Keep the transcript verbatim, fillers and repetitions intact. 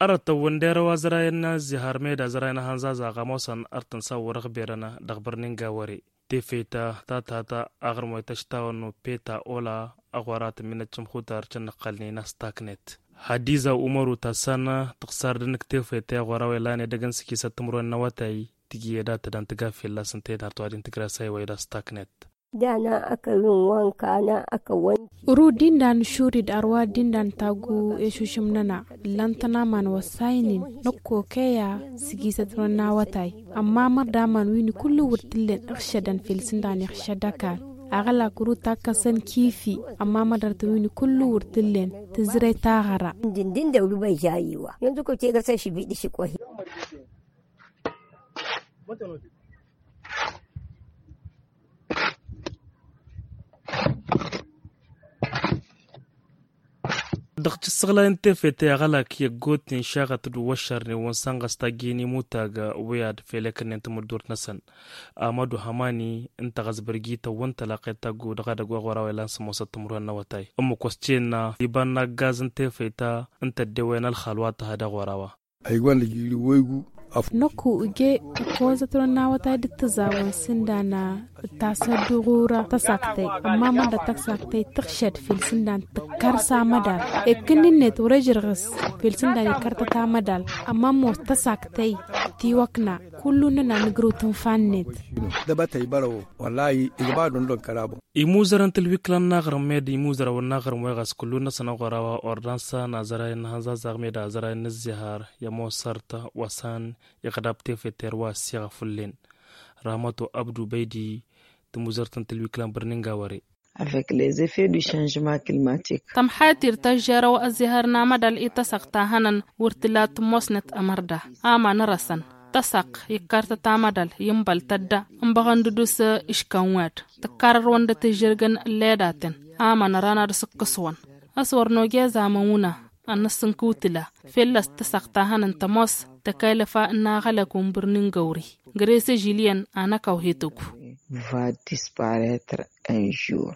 Arătăwwăn derăw azărayăn n-azihar meda azărayăn n-ahănzazaɣ ămoosăn artăn s-awwăr ăɣberăn dăɣ-bărnin gawăre. Tefăyta ta tata aɣrǝm wa ităštawăn n-upeta ola ăɣora tǝmminăt cǝmxutar cǝnnăqqălnen a-s taknet. Hadiza umăru ta s-anna tǝɣsar d-ǝnnǝk tefăyta i-ăɣora wa ilan edăgg n-sǝkisăt timǝrwen n-awătay tǝjǝyăd ad-tădan tǝgga fălla-s ǝnta i-nărtăwa din tǝgrasay wa ila s-taknet. Dana ăkăwin wanka na ăkăwin. Ru dindan šurid arwa dindan tagu ešušǝm-năna ǝllăn-tăn aman wăssaynen năkkokeya sǝjisăt-năwăn n-awătay. Ămma mărdaman win-i kullu wăr t-ǝllen ǝɣšădăn fel sǝndan iɣšăd ăkall. Aɣălak ru takkăsăn kifi. Ămma mădăr-tăn win-i kullu wăr t-ǝllen tǝzre taɣăra. Dindin dăw-dd băyža iwa yanzu ko tegărsăn šǝbiḍ išǝkkohi. Dăɣ-t ǝssăɣlay n-tefete aɣălak i-ăggootnen šaɣăt d-uwăššărnen wa n-sănɣăs tajjǝyăn imutag wi ad-fel ekănnen tamǝddurt-năsăn. Amădu hămani ǝnta ɣas bărjităn wa n-tălaqet taggu dăɣ-edăgg wa ɣur-a-wa ilan s-ămoosăt timǝrwen n-awătay ǝmmǝk wa s-cennă iba n-aggaz n-tefeta ǝnta ăddewăyăn ălxal wa t-ha dăɣ-ɣur-a-wa. Năkku ǝje ǝkkozăt-năwăn n-awătay d-tǝzawăn s-ǝndan d-tasădduɣura tăsaktăy. Ămma mănda tăsaktăy tǝɣšăd fel s-ǝndan tǝkkăr s-amădal. Ekkǝnnin-net wăr-ejrăɣ s-fel s-ǝndan ikkărtăt amădal. Ămma ămoos tăsaktăy tiwăkna kullu-nănăɣ nǝgrǝw tǝnfa-net. Dăbătăy bărăwăn wăllahi ijba dundun kărabu. Imuzărăn tǝlwiklan n-aɣrǝm med imuzărăn n-aɣrǝm wa iɣas kullu-năsăn ăɣora wa ordansa n-azărayăn n-ahănzazaɣ med azărayăn n-ǝzzihar i-ămoos sărt wa s-an iɣdab tefeter wa ăssiɣăf fǝllen. Rahmăto abdu băydi tǝmuzărt n-tǝlwiklan bărnin gawăre. Avec les effets du changement climatique. Tămxatir tăžžerăw ăzzihăr n-amădal i-tăsăɣt ta hănăn wăr tǝla tǝmmosnăt ămărda aman răsăn tăsăɣt ikkărtăt amădal i-ǝnbăl tădda ǝnbăɣăn d-udǝs iškăn wed tǝkkarărwăn d-tǝžžǝrgăn ǝlledaten aman răna d-asǝkkǝswăn. A-s wăr noge zamăn wǝnna ad-năssǝnkǝw tǝla fălla-s tăsăɣt ta hănăn tămoos tăkăylăfa n-aɣălăk wa n-bărnin găwri. Gărăy s-ăžiliyăn ad-năkăw hetăgu. Va disparetre un jour.